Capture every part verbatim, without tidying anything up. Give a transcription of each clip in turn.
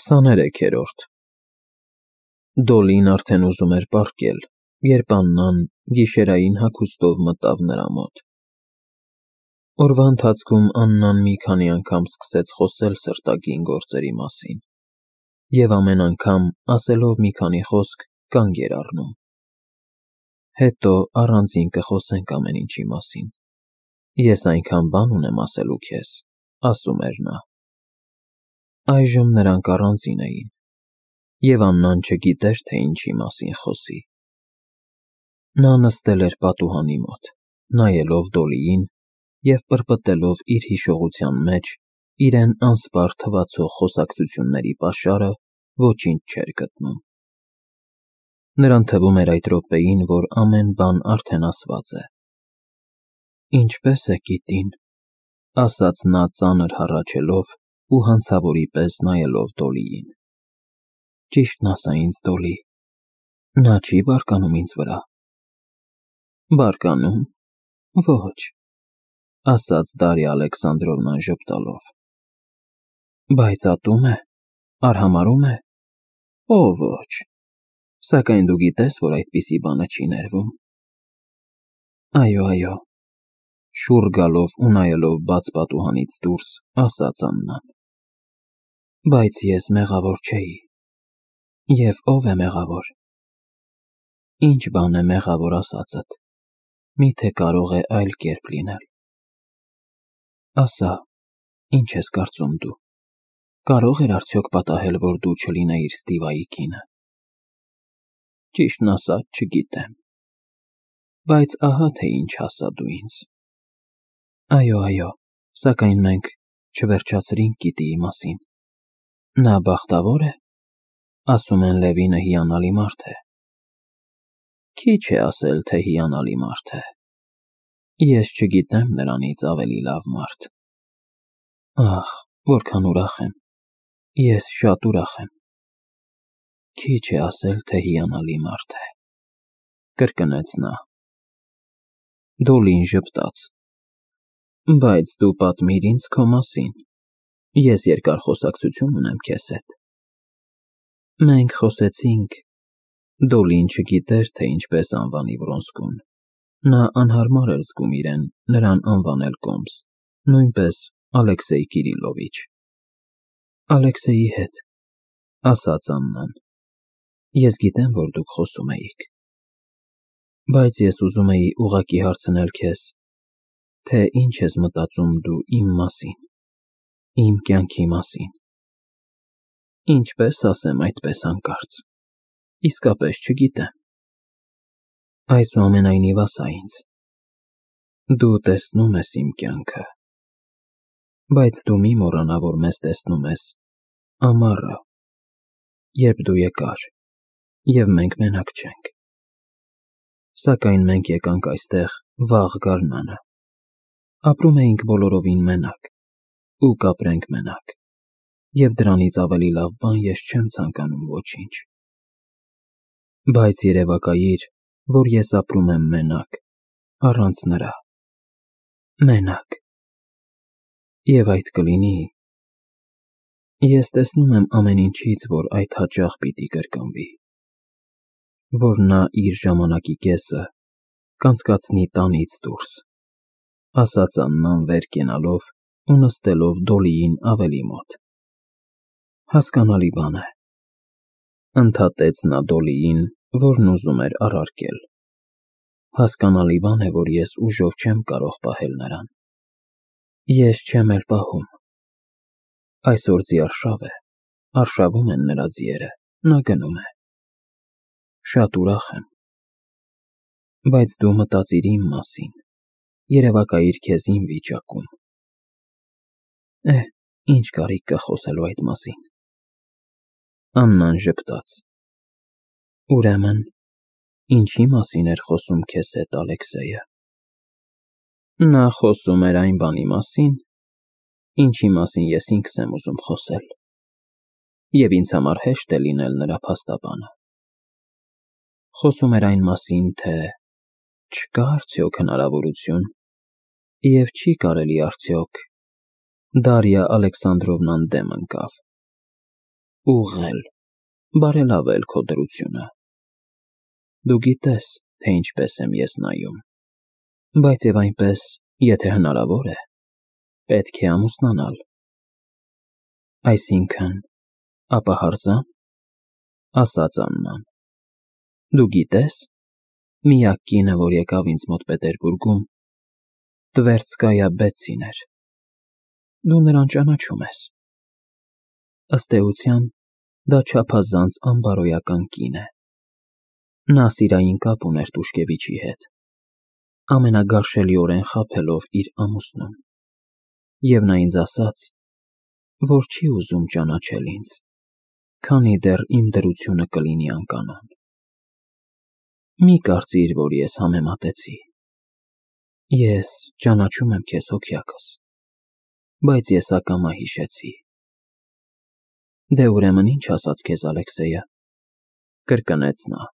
Քսաներեքերորդ Դոլին արդեն ուզում էր պառկել, երբ Աննան գիշերային հագուստով մտավ նրա մոտ։ Օրվա ընթացքում Աննան մի քանի անգամ սկսեց խոսել սրտագին գործերի մասին, և ամեն անգամ, ասելով մի քանի խոսք, կանգ էր առնում։ Հետո առանձին կխոսենք ամեն ինչի մասին։ Ես այնքան բան ունեմ ասելու քեզ, ասում էր նա։ Այժմ նրանք առանձին էին, և Աննան չգիտեր, թե ինչի մասին խոսի։ Նա նստել էր պատուհանի մոտ, նայելով Դոլիին և պրպտելով իր հիշողության մեջ իրեն անսպառ թվացող խոսակցությունների պաշարը, ոչինչ չէր գտնում։ Նրան թվում էր այդ րոպեին, որ ամեն բան արդեն ասված է։ Ինչպե՞ս է կիտին, ասաց նա ծանր հառաչելով ու հանցավորի պես նայելով Դոլիին։ Ճիշտն ասա ինձ, Դոլի, նա չի՞ բարկանում ինձ վրա։ Բարկանում, ոչ, ասաց Դարիա Ալեքսանդրովնան ժպտալով։ Բայց ատո՞ւմ է, արհամարհո՞ւմ է։ Օ, ոչ, սակայն դու գիտես, որ այդպիսի բանը չի ներվում։ Այո, այո, շուռ գալով ու նայելով բաց պատուհանից դուրս, ասաց Աննան։ Բայց ես մեղավոր չէի։ Եվ ո՞վ է մեղավոր։ Ինչ բան է մեղավոր ասածդ, միթե կարող է այլ կերպ լինել։ Ասա, ինչ ես կարծում դու, կարող էր արդյոք պատահել, որ դու չլինեիր Ստիվայի կինը։ Ճիշտն ասած, չգիտեմ։ Բայց ահա թե ինչ ասա դու ինձ։ Այո, այո, սակայն մենք չվերջացրինք գիտիի մասին։ Նա բախտավո՞ր է։ Ասում են Լևինը հիանալի մարդ է։ Քիչ է ասել, թե հիանալի մարդ է։ Ես չգիտեմ նրանից ավելի լավ մարդ։ Ախ, որքան ուրախ եմ։ Ես շատ ուրախ եմ։ Քիչ է ասել, թե հիանալի մարդ է, կրկնեց նա։ Դոլին ժպտաց։ Բայց դու պատմիր ինձ քո մասին։ Ես երկար խոսակցություն ունեմ քեզ հետ։ Մենք խոսեցինք։ Դոլին չգիտեր, թե ինչպես անվանի Վրոնսկուն։ Նա անհարմար էր զգում իրեն նրան անվանել կոմս, նույնպես Ալեքսեյ Կիրիլովիչ։ Ալեքսեյի հետ, ասաց Աննան։ Ես գիտեմ, որ դուք խոսում էիք։ Բայց ես ուզում էի ուղղակի հարցնել քեզ, թե ինչ ես մտածում դու իմ մասին, իմ կյանքի մասին։ Ինչպես ասեմ այդպես հանկարծ։ Իսկապես չգիտեմ։ Այսուամենայնիվ ասա ինձ։ Դու տեսնում ես իմ կյանքը։ Բայց դու մի մոռանա, որ մեզ տեսնում ես ամառը, երբ դու եկար, և մենք մենակ չենք։ Սակայն մենք եկանք այստեղ վաղ գարնանը։ Ապրում էինք բոլորովին մենակ ու կապրենք մենակ, և դրանից ավելի լավ բան ես չեմ ցանկանում ոչինչ։ Բայց երևակայիր, որ ես ապրում եմ մենակ, առանց նրա։ Մենակ։ Եվ այդ կլինի… Ես տեսնում եմ ամեն ինչից, որ այդ հաճախ պիտի կրկնվի։ Որ նա իր ժամանակի կեսը կանցկացնի տանից դուրս, ասաց Աննան վեր կենալով ու նստելով Դոլիին ավելի մոտ։ Հասկանալի բան է, ընդհատեց նա Դոլիին, որն ուզում էր առարկել։ Հասկանալի բան է, որ ես ուժով չեմ կարող պահել նրան։ Ես չեմ էլ պահում։ Այսօր ձիարշավ է, արշավում են նրա ձիերը, նա գնում է։ Շատ ուրախ եմ։ Բայց դու մտածիր իմ մասին, երևակայիր քեզ իմ վիճակում։ Է, ինչ կարիք կա խոսելու այդ մասին։ Աննան ժպտաց։ Ուրեմն, ինչի մասին էր խոսում քեզ հետ Ալեքսեյը։ Նա խոսում էր այն բանի մասին, ինչի մասին ես ինքս եմ ուզում խոսել, և ինձ համար հեշտ է լինել նրա փաստաբանը։ Խոսում էր այն մասին, թե չկա արդյոք հնարավորություն, և չի կարելի արդյոք… Դարիա Ալեքսանդրովնան դեմ ընկավ։ ուղղել, բարելավել քո դրությունը։ Դու գիտես, թե ինչպես եմ ես նայում, բայց և այնպես, եթե հնարավոր է, պետք է ամուսնանալ։ Այսինքն, ապա հարզա՞ն, ասաց Աննան։ Դու գիտես, միակ կինը, որ եկավ ինձ մոտ Պետերբուրգում, Տվերցկայա Բեցին էր։ Դու նրան ճանաչում ես։ Ըստ էության, դա չափազանց անբարոյական կին է։ Նա սիրային կապ ուներ Տուշկևիչի հետ, ամենագարշելիորեն խաբելով իր ամուսնուն, և նա ինձ ասաց, որ չի ուզում ճանաչել ինձ, քանի դեռ իմ դրությունը կլինի անկանոն։ Մի կարծիր, որ ես համեմատեցի։ Ես ճանաչում եմ քեզ հոգյակս, բայց ես ակամա հիշեցի։ Դե ուրեմն ինչ ասաց քեզ Ալեքսեյը, կրկնեց նա։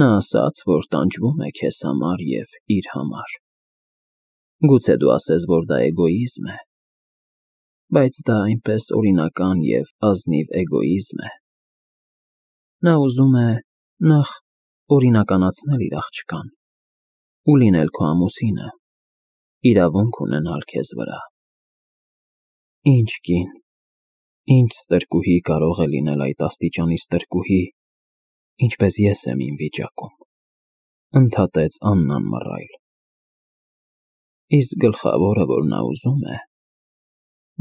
Նա ասաց, որ տանջվում է քեզ համար և իր համար։ Գուցե դու ասես, որ դա էգոիզմ է, բայց դա այնպես օրինական և ազնիվ էգոիզմ է։ Նա ուզում է նախ օրինականացնել իր աղջկան ու լինել քո ամուսինը, իրավունք ունենալ քեզ վրա։ Ինչ կին, ինչ ստրկուհի կարող է լինել այդ աստիճանի ստրկուհի, ինչպես ես եմ իմ վիճակում, ընդհատեց Աննան մռայլ։ Իսկ գլխավորը, որ նա ուզում է,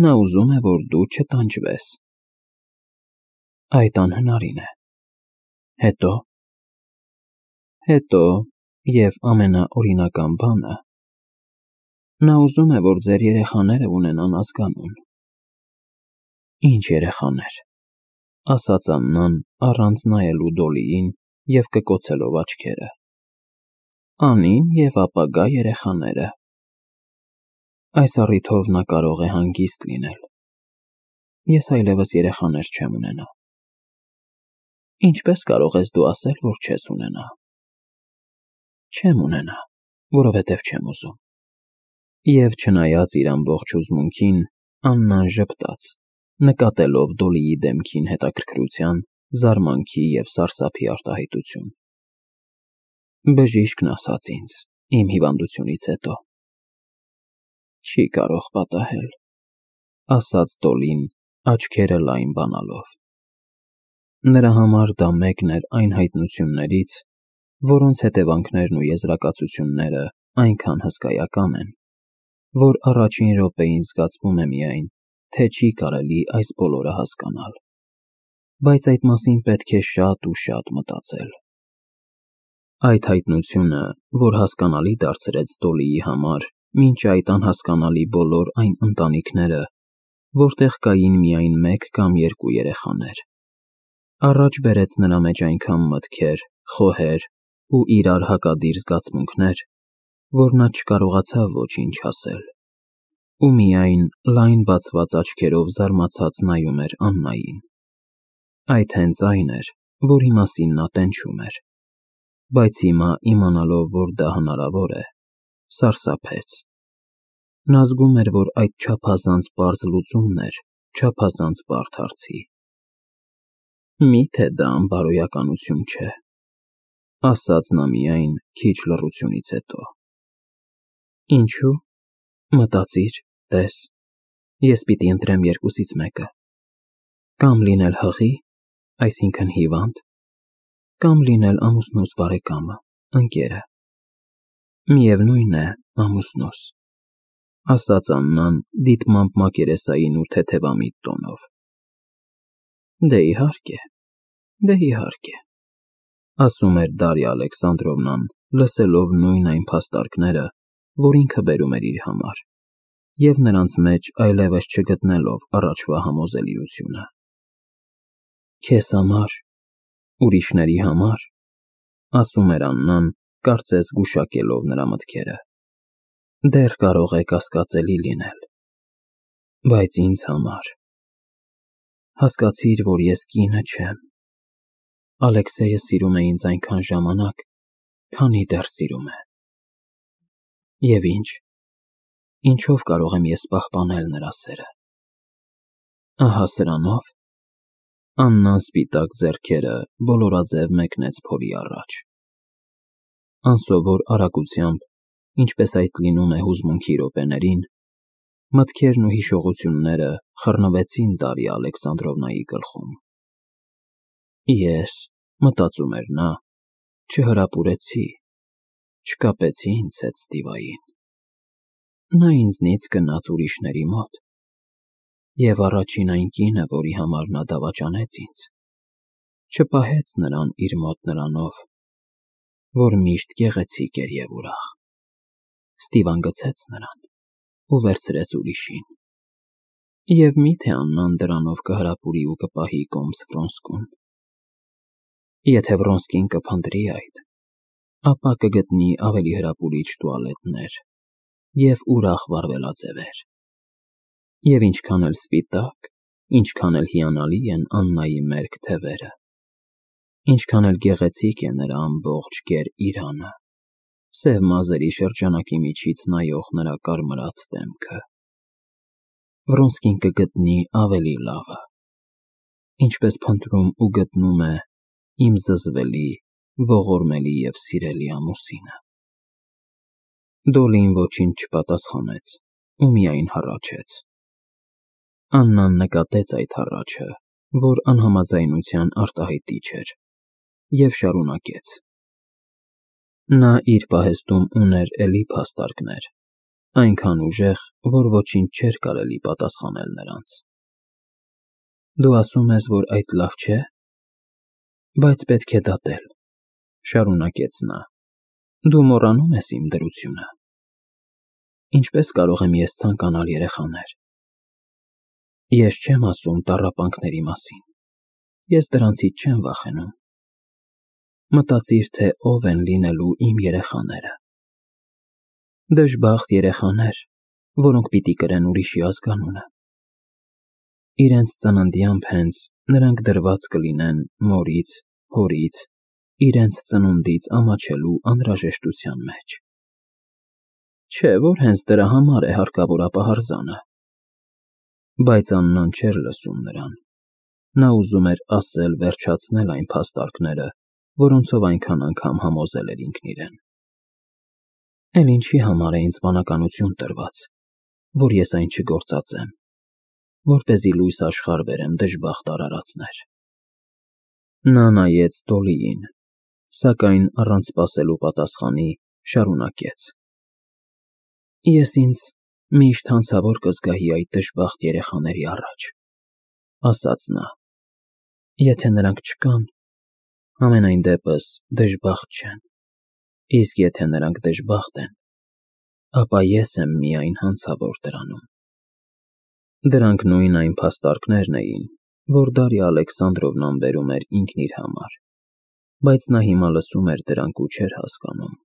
նա ուզում է, որ դու չտանջվես։ Այդ անհնարին է։ Հետո։ Հետո, և ամենաօրինական բանը, նա ուզում է, որ ձեր երեխաները ունենան ազգանուն։ Ինչ երեխաներ, ասաց Աննան, առանց նայելու Դոլիին և կկոցելով աչքերը։ Անին և ապագա երեխաները։ Այս առիթով նա կարող է հանգիստ լինել։ Ես այլևս երեխաներ չեմ ունենա։ Ինչպես կարող ես դու ասել, որ չես ունենա։ Չեմ ունենա, որովհետև չեմ ուզում։ Եվ չնայած իր ամբողջ հուզմունքին, Աննան ժպտաց, նկատելով Դոլիի դեմքին հետաքրքրության, զարմանքի և սարսափի արտահայտություն։ Բժիշկն ասաց ինձ, իմ հիվանդությունից հետո։ Չի կարող պատահել, ասաց Դոլին, աչքերը լայն բանալով։ Նրա համար դա մեկն էր այն հայտնություններից, որոնց հետևանքներն ու եզրակացությունները այնքան հսկայական են, որ առաջին րոպեին զգացվում է միայն, թե չի կարելի այս բոլորը հասկանալ, բայց այդ մասին պետք է շատ ու շատ մտածել։ Այդ հայտնությունը, որ հասկանալի դարձրեց Դոլիի համար մինչ այդ անհասկանալի բոլոր այն ընտանիքները, որտեղ կային միայն մեկ կամ երկու երեխաներ, առաջ բերեց նրա մեջ այնքան մտքեր, խոհեր ու իրար հակադիր զգացմունքներ, որ նա չկարողացավ ոչինչ ասել, ու միայն լայն բացված աչքերով զարմացած նայում էր Աննային։ Այդ հենց այն էր, որի մասին նա տենչում էր, բայց հիմա իմանալով, որ դա հնարավոր է, սարսափեց։ Նա զգում էր, որ այդ չափազանց պարզ լուծումն էր չափազանց բարդ հարցի։ Մի՞թե դա անբարոյականություն չէ, ասաց նա միայն քիչ լռությունից հետո։ Ինչու՞, մտածիր, տես, ես պիտի ընտրեմ երկուսից մեկը. կամ լինել հղի, այսինքն հիվանդ, կամ լինել ամուսնուս բարեկամը, ընկերը։ Միևնույն է, ամուսնուս, ասաց Աննան դիտմամբ մակերեսային ու թեթևամիտ տոնով։ Դե իհարկե, դե իհարկե, ասում էր Դարիա Ալեքսանդրովնան, լսելով նույն այն փաստարկները, որ ինքը բերում էր իր համար, և նրանց մեջ այլևս չգտնելով առաջվա համոզելիությունը։ Քեզ համար, ուրիշների համար, ասում էր Աննան, կարծես գուշակելով նրա մտքերը, դեռ կարող է կասկածելի լինել, բայց ինձ համար… Հասկացիր, որ ես կինը չեմ։ Ալեքսեյը սիրում է ինձ այնքան ժամանակ, քանի դեռ սիրում է։ Եվ ինչ, ինչով կարող եմ ես պահպանել նրա սերը։ Ահա սրանով, Աննան սպիտակ ձեռքերը բոլորաձև մեկնեց փորի առաջ։ Անսովոր արագությամբ, ինչպես այդ լինում է հուզմունքի րոպեներին, մտքերն ու հիշողությունները խռնվեցին Դարիա Ալեքսանդրովնայի գլխում։ Ես, մտածում էր նա, չհրապուրեցի, չկապեցի ինձ հետ Ստիվային։ Նա ինձնից գնաց ուրիշների մոտ, և առաջին այն կինը, որի համար նա դավաճանեց ինձ, չպահեց նրան իր մոտ նրանով, որ միշտ գեղեցիկ էր և ուրախ։ Ստիվան գցեց նրան ու վերցրեց ուրիշին։ Եվ մի՞թե Աննան դրանով կհրապուրի ու կպահի կոմս Վրոնսկուն։ Եթե Վրոնսկին կփնտրի այդ, ապա կգտնի ավելի հրապուրիչ տուալետներ և ուրախ վարվելաձևեր։ Եվ ինչքան էլ սպիտակ, ինչքան էլ հիանալի են Աննայի մերկ թևերը, ինչքան էլ գեղեցիկ է նրա ամբողջ գեր իրանը, սև մազերի շրջանակի միջից նայող նրա կարմրած դեմքը, Վրոնսկին կգտնի ավելի լավը, ինչպես փնտրում ու գտնում է իմ զզվելի, ողորմելի և սիրելի ամուսինը։ Դոլին ոչինչ չպատասխանեց ու միայն հառաչեց։ Աննան նկատեց այդ հառաչը, որ անհամաձայնության արտահայտիչ էր, և շարունակեց. Նա իր պահեստում ուներ էլի փաստարկներ, այնքան ուժեղ, որ ոչինչ չէր կարելի պատասխանել նրանց։ Դու ասում ես, որ այդ լավ չէ։ Բայց պետք է դատել, շարունակեց նա, դու մոռանում ես իմ դրությունը։ Ինչպես կարող եմ ես ցանկանալ երեխաներ։ Ես չեմ ասում տառապանքների մասին, ես դրանցից չեմ վախենում։ Մտածիր, թե ով են լինելու իմ երեխաները։ Դժբախտ երեխաներ, որոնք պիտի կրեն ուրիշի ազգանունը։ Իրենց ծննդյամբ հենց նրանք դրված կլինեն մորից, հորից, իրենց ծնունդից ամաչելու անհրաժեշտության մեջ։ Չէ՞ որ հենց դրա համար է հարկավոր ապահարզանը։ Բայց Աննան չէր լսում նրան։ Նա ուզում էր ասել վերջացնել այն փաստարկները, որոնցով այնքան անգամ համոզել էր ինքն իրեն։ Էլ ինչի համար է ինձ բանականություն տրված, որ ես այն չգործածեմ, որպեսզի լույս աշխարհ բերեմ դժբախտ արարածներ։ Նա նայեց Դոլիին, սակայն առանց սպասելու պատասխանի շարունակեց. Ես ինձ միշտ հանցավոր կզգայի այդ դժբախտ երեխաների առաջ, ասաց նա։ Եթե նրանք չկան, համենայն դեպս դժբախտ չեն, իսկ եթե նրանք դժբախտ են, ապա ես եմ միայն հանցավոր դրանում։ Դրանք նույն այն փաստարկներն էին, որ Դարիա Ալեքսանդրովնան բերում էր ինքն իր համար, բայց նա հիմա լսում էր դրանք ու չէր հասկանում։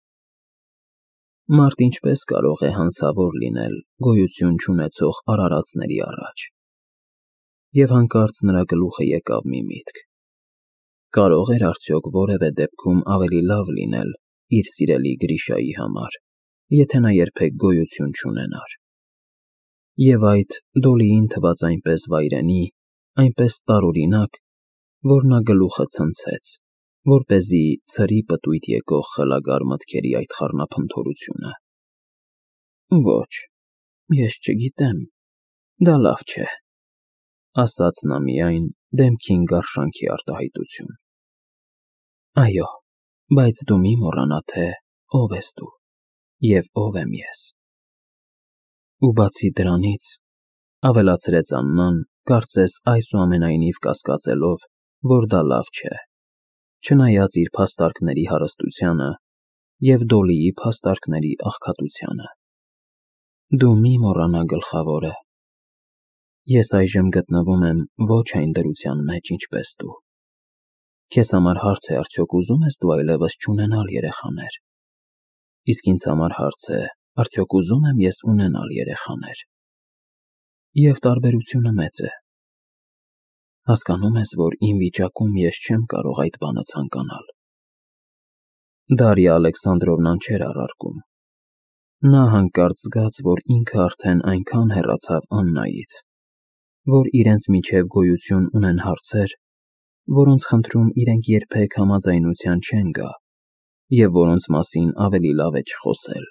Մարդ ինչպես կարող է հանցավոր լինել գոյություն չունեցող արարածների առաջ։ Եվ հանկարծ նրա գլուխը եկավ մի միտք. կարող էր արդյոք որևէ դեպքում ավելի լավ լինել իր սիրելի Գրիշայի համար, եթե նա երբեք գոյություն չունենար։ Եվ այդ Դոլիին թվաց այնպես վայրենի, այնպես տարօրինակ, որ նա գլուխը ցնցեց, որպեսզի ցրի պտույտ եկող խելագար մտքերի այդ խառնափնթորությունը։ Ոչ, ես չգիտեմ, դա լավ չէ, ասաց նա միայն դեմքին գարշանքի արտահայտություն։ Այո, բայց դու մի մոռանա, թե ով ես դու և ով եմ ես։ Ու բացի դրանից, ավելացրեց Աննան, կարծես այսուամենայնիվ կասկածելով, որ դա լավ չէ, չնայած իր փաստարկների հարստությանը և Դոլիի փաստարկների աղքատությանը։ Դու մի մոռանա գլխավորը։ Ես այժմ գտնվում եմ ոչ այն դրության մեջ, ինչպես դու։ Քեզ համար հարց է, արդյոք ուզում ես դու այլևս չունենալ երեխաներ։ Իսկ ինձ համար հարց է, արդյոք ուզում եմ ես ունենալ երեխաներ։ Եվ տարբերությունը մեծ է։ Հասկանում ես, որ իմ վիճակում ես չեմ կարող այդ բանը ցանկանալ։ Դարիա Ալեքսանդրովնան չէր առարկում։ Նա հանկարծ զգաց, որ ինքը արդեն այնքան հեռացավ Աննայից, որ իրենց միջև գոյություն ունեն հարցեր, որոնց խնդրում իրենք երբեք համաձայնության չեն գա և որոնց մասին ավելի լավ է չխոսել։